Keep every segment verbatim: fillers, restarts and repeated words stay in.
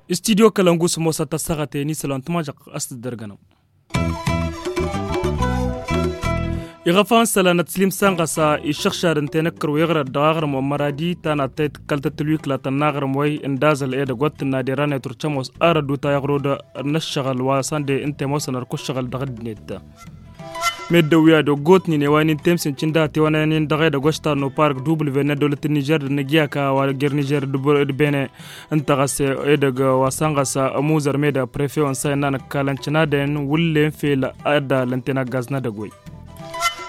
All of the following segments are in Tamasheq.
Istidyo kălăngu s-ămoos ad-tăssaɣăt i-nisălan tmajăɣ a-s tǝddărgănăm. Iɣăfan sălanăt slim sanɣăsa iššăɣšad n-tenăkkăr wi ɣărăt dăɣ-aɣrǝm wa n-măradi ta n-ad-tăy tǝkkăltăt tǝlwiklăt n-aɣrǝm wa-y n-daẓăl edăgg wa t-tǝnna derăn i-turcăm wa s-arăddu ta iɣrod n-ăššăɣǝl wa săn de n-tămoosăn ărkuššăɣǝl dăɣ-ăddinăt. Meddǝn wi ad-oggotnen i-wa n-intemsen cǝnda tiwănăyăn-in dăɣ-edăgg wa s-tarnu park dubǝl venne dăwlăt n-nižer d-nǝggyaka wa jer-nižer d-bene. Ǝnta ɣas edăgg wa săn ɣas ămuzăr meda prefe wa n-sa innăn ǝkkalăn cǝnadăn wǝllen fel ad-ălănten aggaz n-edăgg wa-y.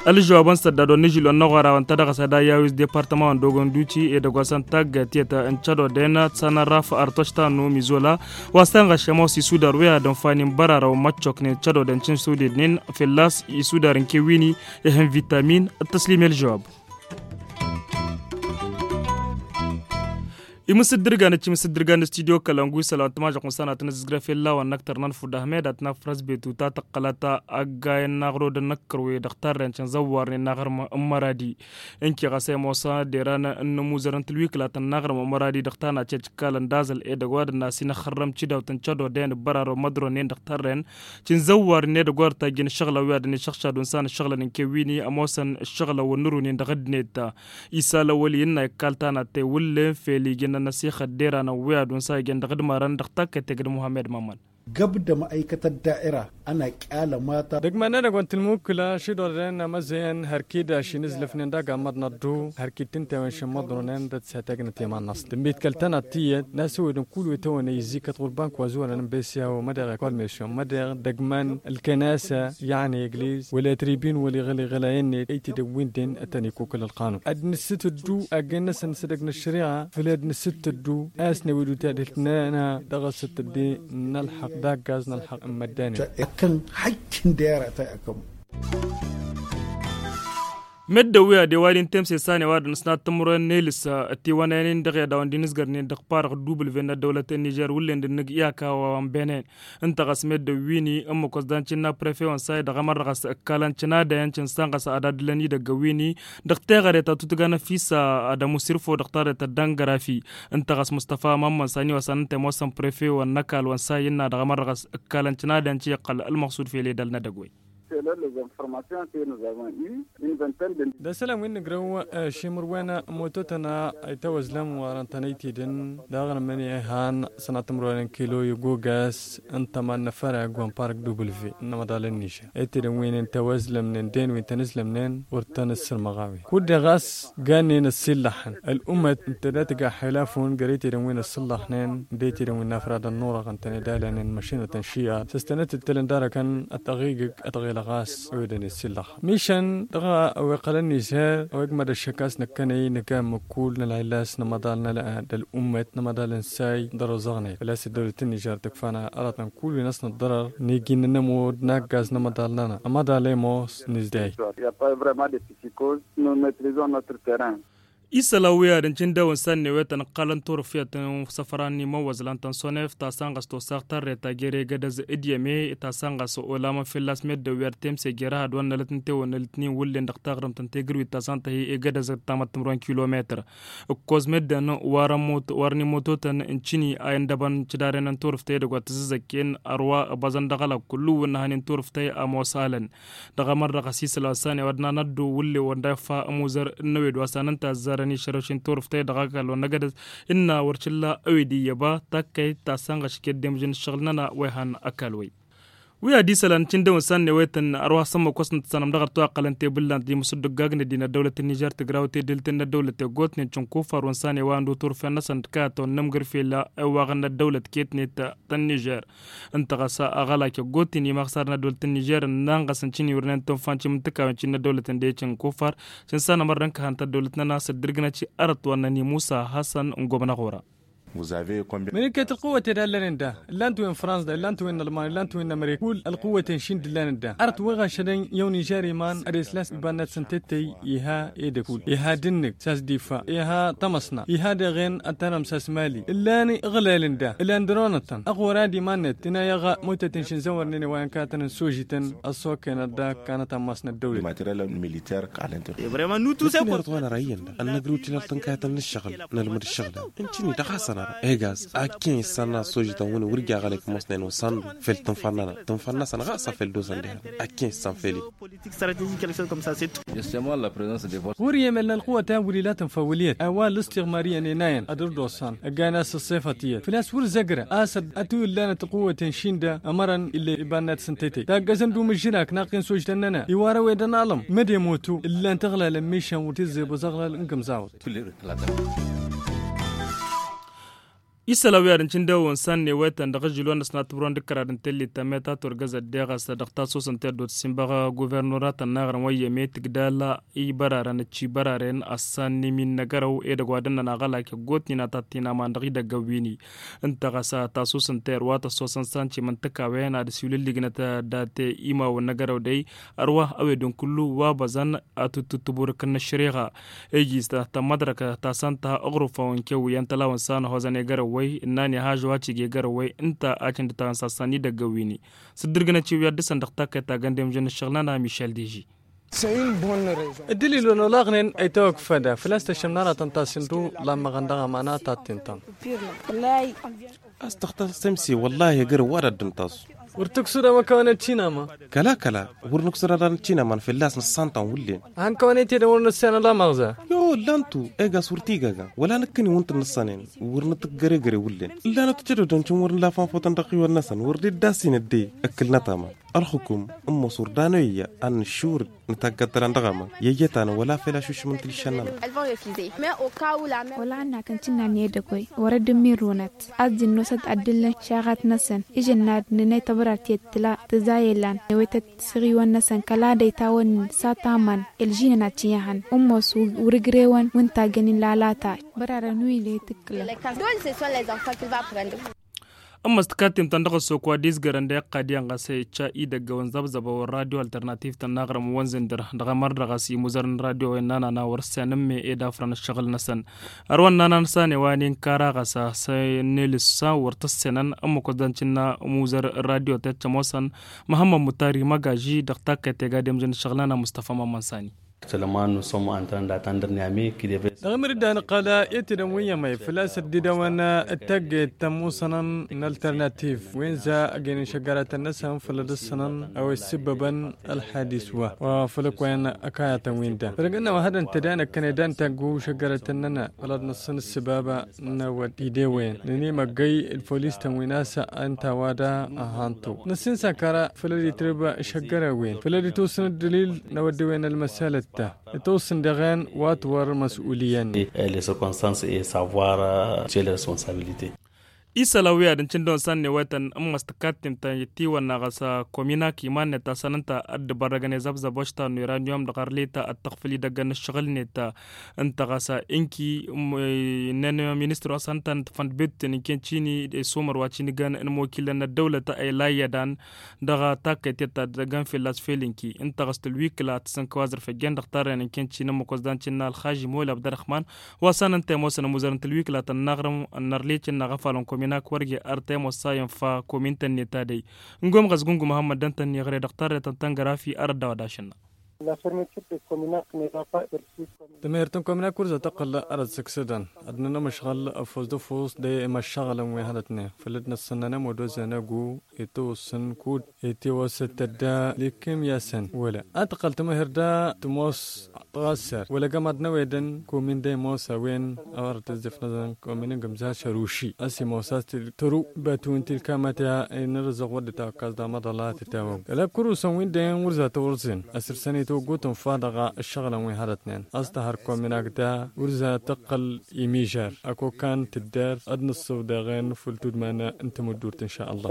Ălžăwab wa n-săddad wa n-ižil wa n-aɣora wa n-tadăɣ s-ad-ayyawiz departăma wa n-dogon duti edăgg wa săn taggayt tiyyăt n-cădodăyăn ad-săn ărraf artoš tannu mizola. Wa săn ɣas šămoos isudar wi ad-ănfanin bărarăw măccoknen cădodăyăn cǝnsudednen fălla-s isudar n-kewini. Ihăn vitamin. Ăttăslim i-ălžăwab. Imǝsǝddǝrgan ăccimǝsǝddǝrgan n-studyo kălăngu isălan tǝmažăɣ n-sănatăn ǝzǝzgrăf i-ăllawan n-ăktăr n-ănfud ahmed ad-tǝnafrăs betu ta tăqqălăt aggay n-aɣrod n-ăkkărwe dăɣ-tarren cǝnzăwwarnen n-aɣrǝm n-măradi. Ǝnki ɣas i-ămoos ad-deran n-ămuzăr n-tǝlwiklatăn n-aɣrǝm n-măradi dăɣ-tana cecǝkkalăn d-aẓăl edăgg wa d-ănnas-in ăxxărrăm cidawt n-cădodăyăn ǝbbărarăw mădronnen dăɣ-tarren. Cǝnzăwwarnen edăgg wa dăr-tajjăn ǝššăɣǝlăn wi ad-ănnišăɣšad unsan ǝššăɣǝlăn n-kewini ămoosăn ǝššăɣǝlăn wa n-nǝrunin dăɣ-ăddinăt. Isa lăwăl innă ikkal tanat tewǝllen fel ijăn ănnăsixăt d-eranăn wi ad-unsa ijăn dăɣ-dd-marăn dăɣ-takkăt tegd muhammed mămmăn. Găbdăm ăykăt ăddaira ănaqq alămata. Dăgg-mănnănăg wa n-tǝlmukǝla šidorden amăzzăyăn hărkida šinǝzlăfnen d-agammăḍ n-ăddu hărkid tǝntewen šinmăḍronen d-ătsetăgnăt i-iman-năsnăt tǝmmitkăl tănat tiyyăt n-asǝwǝd n-kull wi tăwănăy izzikăt ɣurban kăwăzăwănăn n-besiyaw mădeɣ ekolmesyon mădeɣ dăgg-măn ǝlkănasă. Yănni egliz wăla tribin wăla iɣǝl iɣǝlayăn-net ăytedăn wi n-den ad-tăn-ikukǝl ălqanun ad-nǝssǝtǝddu aggen-năsăn s-edăgg n-ăššăriɣa făll-ad-nǝssǝtǝddu a-s newed utadhǝlt-nănăɣ dăɣ-asǝttǝdde n-ălxăqq d-aggaz n-ălxăqq n-măddanen. Ăkkăn hajj n-dera ta i-akăm. Meddǝn wi ad-ewal intemse sane wa dăɣ-nǝsnat timǝrwen n-elǝs tiwănăyăn-in dăɣ-i ad-dawăn d-inǝzgărnen dăɣ-parăɣ dubǝl vennăt dăwlăt n-nižer wǝllen d-ǝnnǝg iyaka wa n-benen. Ǝnta ɣas meddǝn wi n-ǝmmǝk wa s-dan cǝnna prefe wa n-say dăɣ-emărrăɣ a-s ǝkkalăn cǝnadăyăn cǝnsan ɣas ad-addǝlăn idăgg wi n-i dăɣ-teɣăre ta tutǝga n-ăfisa ad-ămusirfo dăɣ-tarret ta d-angărafi. Ǝnta ɣas mustăfa mămmăn sani wa s-ad-nǝnta i-ămoosăn prefe wa n-ăkall wa n-say ǝnna dăɣ-emărrăɣ a-s ǝkkalăn cǝnadăyăn cǝyyăqqăl ălmăɣsud fel edăl n-edăgg wi. D-asălan wi n-nǝgrăw šimǝrwen mototăn a itawăzlăm warăn-tăn ăytidăn daɣ n-mănihăn sănatămrwen n-kilo i-gogas ǝnta ma n-năfărag wa n-park dubǝlve n-amăḍal n-nižer ăytidăn wi n-tawăzlămnen d-en wi n-tăn-ǝzlămnen wăr tăn-ǝssǝrmăɣ a-wen kud-dăɣ a-s gannen ăssillaxăn ăl'ummăt ǝnta d-ad-tǝga xilafun găr-ăytidăn wi n-ăssillaxnen d-ăytidăn wi n-afrad ănnurăɣ ǝntăne d-alănen măšinătăn šiya s-tănăt-ǝttǝlăn d-arăkăn ătăɣigǝg ătɣelăɣ a-s ăwedăn essillaxăn mišăn dăɣ-a-wa iqqălăn n-iser a-wa igmăd ăššăk a-s năkkănăy nǝga ămmǝkul n-ălɣillas n-amăḍal n-ăl'ad ăl'ummăt n-amăḍal n-say dăr-ozăɣnet făl-a-s ăddăwlăt n-nižer tǝkfa n-aratăn kull wi n-ăsnăt ḍărăr n-iji n-anămur d-inaggaz n-amăḍal-nănăɣ amăḍal i-ămoos n-izdayăt. Isălan wi ad-ǝncǝn dawăn sannewetăn ǝqqalăn turǝfyăt n-săfran n-imăwwăẓlan tăn-sonef ta săn ɣas tosaɣ tărre ta jer-egădăz d-iyyăme ta săn ɣas olamăn fălla-s meddǝn wi ad-temse jer-ahăd wa n-nălăt n-tewănnălt n-iwǝllen dăɣ-taɣrǝmt n-tegǝrwit ta săn tăhi egădăz d-tamăttǝmrăwen kilometăr. Ǝkkoẓ meddǝn warăn imototăn n-cǝni a indăbăn cǝdaren n-turǝftăy edăgg wa tǝzzăzăkken ărwa ăbăẓăn dăɣ-ălak kullu-wǝn n-ehăn n-turǝftăy ămoos alăn. Dăɣ-emărrăɣ a-s isălan sani wa d-nanăddu wǝlle wăr da iffa ămuzăr n-ewed wa s-anăn tazzarăn išărăwšen turǝftăy dăɣ-ăkall wa n-egădăz ǝnna wăr t-illa ewed iyyăba takkăyt ta săn ɣašket d-emǝžăn ǝššăɣǝl-nănăɣ wa ihăn ăkall wa-y. Wi ad-isălan cǝndăwăn sannewetăn ărwa s-ămmăk wa s-nǝttăsănăm dăɣ-ărtăw ăqqălăn tebǝllant d-imǝsǝddǝggagnet din ăddăwlăt n-nižer tǝgraw tedǝlt n-ăddăwlăt eggotnen cǝnkufar wa n-sani wa ăndu turfen-năsăn d-kayăt wa n-inǝmgǝr fel ăwaɣăn n-ăddăwlăt ketnet ta n-nižer. Ǝnta ɣas aɣălak eggotnen imaɣsar n-ăddăwlăt n-nižer ǝnnan ɣas n-cǝniwrǝnen tunfa n-cimǝntǝkawen cǝnn-ăddăwlăt n-de cǝnkufar. Cǝnsanămăr d-ǝnkăhăn tăddăwlăt-nănăɣ s-ăddǝrgǝnăt arăt wa n-năni musa hasăn n-gobnăɣ ora. Mănăkket ălquwăt ed a ǝllănen da ǝllan-t wi n-frans da ǝllan-t wi n-alman ǝllan-t wi n-amrik kull ălquwăt n-išin d-ǝllănen da. Ar t-wăɣ ašădăn i-awăn ižar iman ad-eslas iba-net s-ǝnta ettăy iha edăk kull iha d-ǝnnǝk s-a-s difa iha tamăsna iha deɣen ad-tanăm s-a-s mali ǝllan iɣlelăn da ǝllan dăr-onătăn ăɣora d-iman-net tǝnayăɣ mutăt n-išǝnzăwărnen wa n-kăyătăn n-sožităn ăṣṣoken ad-dd-kanăt ammas n-ăddăwlăt. Ălmăterel militer. Kăl-ănter. Ănn-ăgrǝw tilăl tǝnkayătăn n-ǝššăɣǝl nălmǝd ǝššăɣǝl-a ǝnta-ni dăɣ-hasăn ara egaz. Akken issanna ăṣṣožităn wǝnni wăr ija aɣălăk ămoosnen osăndu fel tǝnfăl-nănăɣ tǝnfăl-năsăn ɣas a fel d-osăn dehan. Akken issan fel-i. Wăr-i emel n-ălquwăt a wăr-ila tǝnfăwǝl iyyăt a-wa l-ǝstiɣmar iyyăn enayăn ad-dd-osăn ăgg-ayăn a-s ǝṣṣefăt iyyăt făl-a-s wăr zăgrăn a-s ad-t-wǝllanăt ălquwăt n-išin da ămărăn ill'-e iba-net s-ǝnta ettăy taggăzăn d-umǝžžǝlak n-aqqin s-ojtăn-nănăɣ iwar ăwedăn alăm măd-e imotu ǝllan-t iɣlalăn mišan wăr t-izzebăẓ aɣlal n-gǝmẓawăt. Isălan wi ad-ǝncǝndewăn s-a n-newetăn dăɣ-ažžǝl wa n-ăsnat tǝbrăwăn d-kărad n-tellit ta meta turgăzăt deɣ a-s dăɣ-tasusăn teddut s-inbăɣ guvernuratăn n-aɣrǝm wa iyyăm i-tǝgdal i-bărarăn ăccibăraren a-s s-a n-imin n-agărăw edăgg wa dăr-năn aɣălak iggotnen ad-tattǝynaman dăɣ-idăggăn wi-ni. Ǝnta ɣas tasusăn terwa tăssosăn s-a n-timǝntǝkawen ad-ăsiwǝlǝllǝgnăt dat-imawăn n-agărăw dăy ărwa ăwedăn kullu wa băẓăn ad-tǝttǝburǝkăn n-ăššăreɣa. Iji s-tămmăḍrăk ta s-ănta ăɣrǝfawăn kew iyyăn tălawăn s-a n-ăhozăn egărăwwăy ǝnnan iha žăwacig egărăwwăy ǝnta a cǝndǝtăɣăn s-assan idăggăn wi-ni. S-ǝddǝrgǝnăt i-wi ad-dăr-săn dăɣ-takkăyt ta găndemžăn n-ǝššăɣǝl-nănăɣ mišel deži. Dd-ǝlilon olaɣnen ăytawăkfăda făl-a-s tăššămnăratăn ta s-indu lammăɣăn dăɣ-amana ta t-intăn. A-s tăxtăs temse wăllahi egărăw wa d-ad-dd-ǝntaẓ. Wăr tǝksǝd a-wa kăwăn-ăccinama. Kăla kăla wăr nǝksǝd ad-ad-nǝccinama n-fălla-s nǝssan ta n-wǝllen. Ad-hăn kăwăn-ete d-wăr nǝssan ălamăɣza. I-o ǝllan-tu egas wăr t-igaga wăla nǝkkǝn-i wǝnta n-nǝssănen. Wăr nǝtǝggăregăre wǝllen ǝllan-tu cădodăn cǝn wăr nǝla fanfotăn dăɣ-iwăn-năsăn wăr dd-iddassin ăddee. Ǝkkǝl n-ăṭṭama ălxukum ǝmmos wăr danăw iyyă ad-nǝššurǝd nǝtaggăt tălan dăɣ-amăn i-ăyyăt-anăn wăla fel ašušǝm n-tilšăn-nănăɣ. Wăla ănnatăn cǝnnan i-edăgg-oy wăr-dd-ǝmmirrunăt. A-s dd-nosăt ad-dd-ǝllăn šaɣat-năsăn ižănnad n-inay tăbrart i-dd tǝla tǝzay elan newetăt s-iɣiwăn-năsăn kăla d-ăytawăn-in s-ad-tamăn. Ălžinăn ad-t-ihăn ǝmmos wăr-ǝgrewăn wǝnta găn-in lalata. Bărarăn wi le tǝkkǝlăn. Ǝmmăs tǝkattimtăn dăɣ-ăssok wa d-izgărăn d-iqqad iyyăn ɣas icca idăggăwăn zăbzăbăwăn radio alternativ-tăn n-aɣrǝm n-wănzǝndăr dăɣ-emărdăɣ a-s imuzăr n-radio-wen n-anana wăr-ǝssenăn me ed afrăn ǝššăɣǝl-năsăn. Ărwăn n-anan s-a n-ewa n-inkara ɣas a-s n-elǝssa wăr t-ǝssenăn ǝmmǝk wăzdan cǝnna imuzăr n-radio-tet cămoosăn. Măhămmăd mutari măgaži dăɣ-takkăyt tegadem jăn ǝššăɣǝl-nănăn mustăfa mămmăn sani. Dăɣ-imǝrǝdda nǝqqăl i-tidăn wi iyyăm făl-a-s ăddidăwăn d-tagget tămmusănăn n-alternativ wi n-za ăgg-ăynin šăggăratăn-năsăn făll-ad-ǝssǝnăn a-wa issǝbbăbăn ălḥadis wa wa făll-ăkkoyăn ăkayătăn wi n-da făll-ăgg-ǝnnăwăn hadăn-t ădanăkkăn i-dan taggu šăggăratăn-nănăɣ făll-ad-nǝssǝn ǝssǝbaba n-awăd idewăyăn nǝnimăggăy d-folis-tăn wi n-asăn ǝnta a-wa da ăhantu nǝssin s-akăra făll-ad-itrǝb šăggărăwen făll-ad-itwǝsǝn ǝddǝlil n-awăddewen ălmăsalăt ta itwǝsǝn dăɣ-en wa t-wăr măs'uliyăn. Ălesăkonsans e savoir ce le responsabilite. Isălan wi ad-ǝncǝndăwăn s-ad-newăytăn ǝmmăs tǝkattimt ta n-ittiwănna ɣas kominak iman-net ta s-ad-nǝnta ad-dd-bărrăgăn i-zăbzăb oštan n-uranium dăɣ-arlita ad-tăɣfǝl idăggăn n-ǝššăɣǝl-net. Ǝnta ɣas inki ǝnnen ministăr wa s-ad-nǝnta n-tǝfăn d-betǝn ǝnken cini isumăr wa cinǝgăn n-imokilăn n-ăddăwlăt a ila iyyădan dăɣ-takkăytet ta dd-ăggăn fălla-s fel inki ǝnta ɣas tǝlwikǝla tǝsǝnkăw azrǝf ăjjeen dăɣ-tarren ǝnken cini ǝmmǝk wăzdan cǝnna ălxaži molab d-arăxman wa s-ad-nǝnta i-ămoosăn imuzărăn tǝlwikǝla ta n-inaɣrǝm n-arleci n-inaɣ afalăn kominak wăr ge ar ta i-ămoos sa infa komin-tăn-net ta dăy. N-gom ɣas gungu măhămmăd dăn-tăn-iɣre dăɣ-tarret n-tăngărafi ar ăddaw ad-ašănna. Tămăhert n-kominak wăr za tăqqăl arăt sǝksǝdăn ad-nănăm ǝšɣăl ăfuss d-ăfuss d-emăššăɣǝlăn wi hănătnen făll-dd-năssănnănăm wădozănăgu itwǝssǝn kud itiwăsăt tădda likim i-asăn wăla ad-tăqqăl tămăhert da tămoos tăɣassar wăla gămad n-ewedăn komin da imoos a-wen a wăr tǝzzǝfnăzăn komin n-gǝmza šăruši a-s imoos a-s tǝru bătu n-tilkamăt i-nărǝzăɣ wăr dd-tawăkkas damăḍăla tǝtawăg ălakkurusăn wi n-dăyăn wăr za tăwărzin ăsrǝsăn itwăggu tǝnfa dăɣ-ǝššăɣǝlăn wi hărătnen a-s tăhăr kominak da wăr za tăqqăl imižar ăkokan tǝddar ad-nǝssǝw dăɣ-en făll-tudman n-tamǝddurt n-šallah.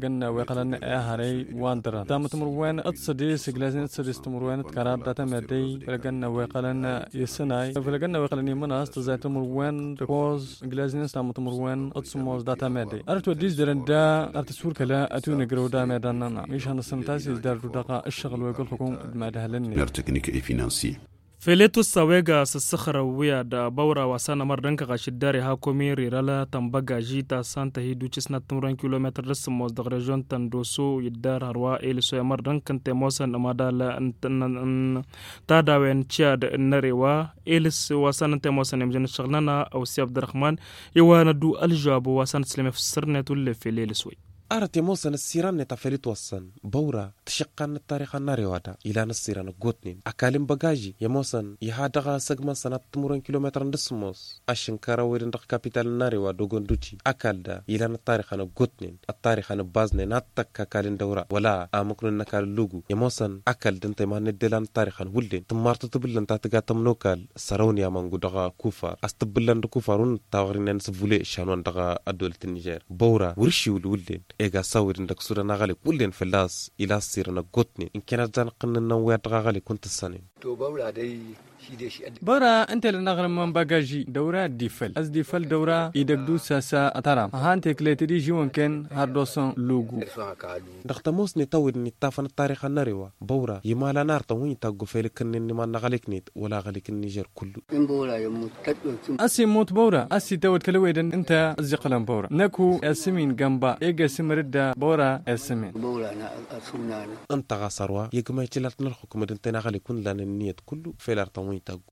făll-ăgg-ănn a-wa iqqălăn ehărăy wa n-dăran tamătmărwen d-sădis ǝglaznen d-sădis timǝrwen d-kăraḍ data meddey făll-ăgg-ănn a-wa iqqălăn isǝnay făll-ăgg-ănn a-wa iqqălăn imǝnas tǝzzay timǝrwen d-ăkkoẓ ǝglaznen s-tamǝtmărwen d-sǝmmos data meddey ărăt wădden izdărăn da ar tǝswǝrkăla ătunǝgrăw da medan-nănăɣ mišan ăssănăt a-s izdar-dd dăɣ-ǝššăɣǝl wa igǝlxǝkum d-imadhălăn-net. Mer teknik e finansiye. Feletos a-wa iga s-ǝssăxrăw wi ad-băwra wa s-anămăr d-ǝnkăɣaš dd-ar iha komin rirăl tănbăgaži ta s-antăhi d-ucis n-ad-tǝmrăwăn kilometăr d-sǝmmos dăɣ-režyon ta n-doso iddar hărwa elǝs wa imăr d-ǝnkăn temosăn ămadal n-tadawen ciyad n-nărewa elǝs wa s-anăn temosăn imjăn ǝššăɣǝl-nănăɣ ăwsi abdărăxman i-wa năddu ălžăwab wa s-anăt sǝlǝmef s-sărnet wǝllen fel elǝs wăy. Arăt ămoosăn ăssiran-net a fel itwăssăn băwra tǝšăqqan n-ăttarix a n-arewa-da ilan ăssiran ăggootnen ăkall n-băgaži i-ămoosăn iha dăɣ-asăgmăn sănat timǝrwen kilometăr n-dăɣ-sǝmmos ašǝnkăr ăwwedăn dăɣ-kapital n-arewa dogon duti ăkall da ilan ăttarix a n-ăggootnen ăttarix a n-ăbbaznen ad-tăkk ăkall n-dăwra wăla amǝknun n-ăkall n-lugu i-ămoosăn ăkall d-ǝnta iman n-ăddela n-ăttarix a n-hullen tǝmmar tăt-tǝbǝllăn ta tǝga tămnokal sărăwni a măngu dăɣ-kufar a-s tǝbbǝllăn d-kufar wăn d-tawăɣri-nen s-vule šanwan dăɣ-ăddolăt n-nižer băwra wăr-išiwǝl hullen ega s-awǝdăn dăɣ-sudan aɣălek hullen fălla-s ila ăssirăn ăggootnen ǝnken ad-dd-anăqqǝnnăn n-ănwăyăt dăɣ-aɣălek wăn tǝssănen. Băwra ǝnta ila n-aɣrǝm n-bagaži dăwra dd-ifăl a-s dd-ifăl dăwra idăgg d-usasa ătăram ăhan teklet d-ižiwăn-ken har dosăn lugu. Dăɣ-tămoosnet a-wen n-ittafăn ăttarix a n-arewa băwra imalan artăn wi n-itaggu fel ǝkkǝnnen n-iman n-aɣălek-net wăla aɣălek n-nižer kullu. A-s immut băwra a-s itawăd kăl-ăwedăn ǝnta ăzziqqălăn băwra năku esǝmin gănba ege sǝmǝr-dd băwra esǝmin. Ǝnta ɣas ărwa i-ăgg ma icǝlalt n-ălxukǝm d-ǝnta-i n-aɣălek wǝnnan ǝnniyăt kullu fel artăn wi n-itaggu.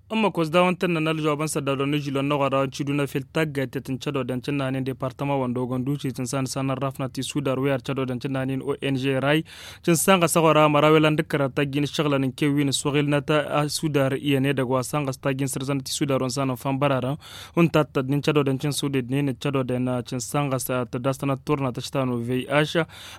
Ǝmmăk wa s-dawăn-tăn-nănăl žobăn s-ăddawdăn n-ižilon n-oɣăra n-ciduna fel taggayt i-tǝncădodăn cǝnnanen departăma wa n-dogon duci tǝnsa n-ăsanărrafnăt isudar wi ar cădodăn cǝnnanen ong ray cǝnsan ɣas ăɣora măraw ilan d-ǝkkărăt tajjin ǝššăɣǝlăn n-kewwin s-wăɣilnăt asudar iyyăn edăgg wa s-anɣăs tajjin sărzănăt isudar wa n-sanăn fanbărarăn wǝnta a t-tădnin cădodăn cǝnsudednen cădodăn cǝnsan ɣas tădastănăt turna tăštanu vih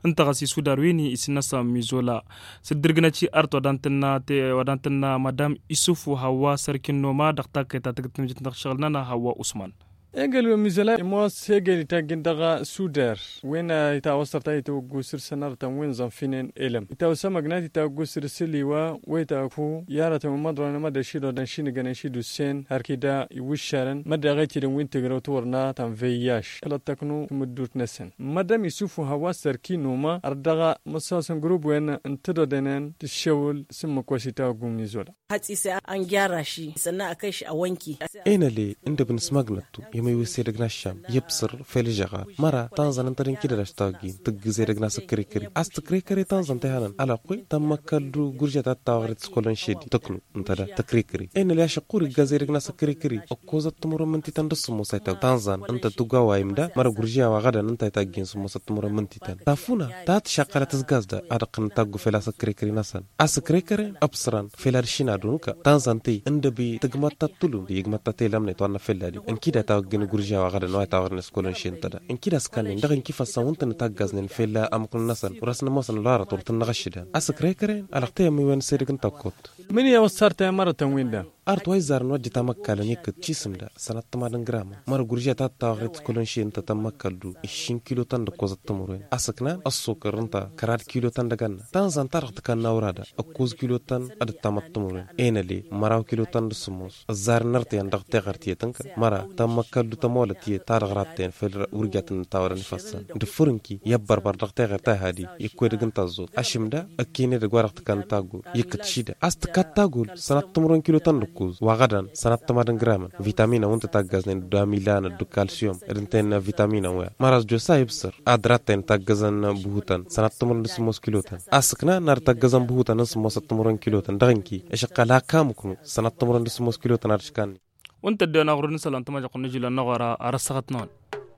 ǝnta ɣas isudar wi n-isǝnnăsăn mizola. S-ǝddǝrgǝnăt i-art wa dan-tǝnna madam isufu hawwa sărkin noma dăɣ-takkăyt ta tǝgǝt tǝmjǝt dăɣ-šăɣǝl-nănăɣ hawwa usman. Egăl wi mizăla imoos egăl itajjǝn dăɣ-sudar wen itawăssăr ta itawăggu săr-săn arătăn wi n-zănfinen elăm itawăsămăgnat itawăggu săr-săliwa wa itawăggu i-arătăn wi măḍrăwăn mădda ši dodăn ši n-igănen ši d-ussen hărkida iwǝššarăn mădda ɣăytidăn wi n-tǝgrăw tiwărna ta n-veyyaš kăl-ăṭṭăknu timǝddut-năsăn. Mădam isufu hawa sărki numa ărdăɣ măsosăn grub-wen n-tădodănen tǝššewǝl s-ǝmmǝk wa s-itawăggu n-izola. Hăt-isa ănjaraši sănna ăkăš ăwănki. Enăle ǝndăb n-asmăgnăttu i-măywi s-edăgg n-aššam i-ǝbsǝr fel ǝžžăɣar măra tanzăn ǝnta d-inkidăd aštawăggin tǝggǝz edăgg n-asǝkrikări a-s tǝkrikări tanzăn ta ihănăn alăqqoy tămmăkkăl d-gurže ta t-tawăɣret s-kălon šedi tăknu ǝnta da tǝkrikări enăle ašăqqur iggaz edăgg n-asǝkrikări ǝkkoẓăt timǝrwen mǝntităn d-sǝmmos a itagg tanzăn ǝnta tǝgg wa wa imda măra gurže a-wa ɣădăn ǝnta a itaggen sǝmmosăt timǝrwen mǝntităn tafuna ta tǝšaqqălăt ǝzgaz da ad-ǝqqǝnăn taggu fel asǝkrikări-năsăn. Asǝkrikăren ăbsărăn fel ad-šin ad-unǝka tanzăn-ti ǝndăbi tǝgmăt ta t-tulum d-igmăt ta t-elămnet wa n-năfelladi ǝnkida tawăggin gurže a-wa ɣădăn wa itawăɣnen s-kălon šen tăda ǝnkida s-kănnen dăɣ-inkifăssăn wǝntăn itaggaznen fel amǝknun-năsăn wăr-ăsnămoosăn ălwarăt wăr tǝnnăɣ ăššǝdan. Asǝkrikăren alăɣtăyăm iwen s-edăgg n-tăkkut. Mǝnǝya wăssartăyăm arătăn-win-dăɣ. Art wa izzarăn wa dd-tamăkkalăn ikkăt cisǝmda sănat tămadăn gramăn mărăgurja ta tawaɣret kălănše ǝnta tămmăkkaldu. Iššin kilotăn d-ǝkkoẓăt tămăroen asăknan ăssokăr ǝnta kărad kilotăn d-agănna tanzan ta dăɣ-tǝkanna urada ǝkkoẓ kilotăn d-ǝttamăt tămăroen enăle măraw kilotăn d-sǝmmos. Ǝzzarăn nărtăyăn dăɣ-teɣărt i-tǝnkăn măra tămmăkkaldu tămolăt i-ta dăɣ-rattăyăn făll-wurjatăn n-tawădăn ifăssăn d-ǝffǝrǝnki i-ăbbărbăr dăɣ-teɣărt a ihadi. Ikkăwedăg n-taẓẓut ašǝmda ǝkkenedăg wa dăɣ-tǝkkan tagol ikkăt šida a-s tǝkkat tagol sănat timǝrwen kilotăn d-ǝkkoẓ wa ɣădan sănat tămadăn gramăn vitaminăn wa ǝnta taggaznen d-amilanăt d-kalsiyum d-ǝnta-en vitaminăn wa măra s-josa ibsăr ad-rattăyăn taggăzăn buhutăn sănat timǝrwen d-sǝmmos kilotăn. Asǝkna n-ad-taggăzăn buhutăn n-sǝmmosăt timǝrwen kilotăn dăɣ-inki ešăqqal hak amǝknu sănat timǝrwen d-sǝmmos kilotăn ad-ǝškanni. Wa ǝnta ăddiwăn aɣrud n-isălan tămajăqq n-ažilăn n-aɣora ar ăssăɣătnăwăn.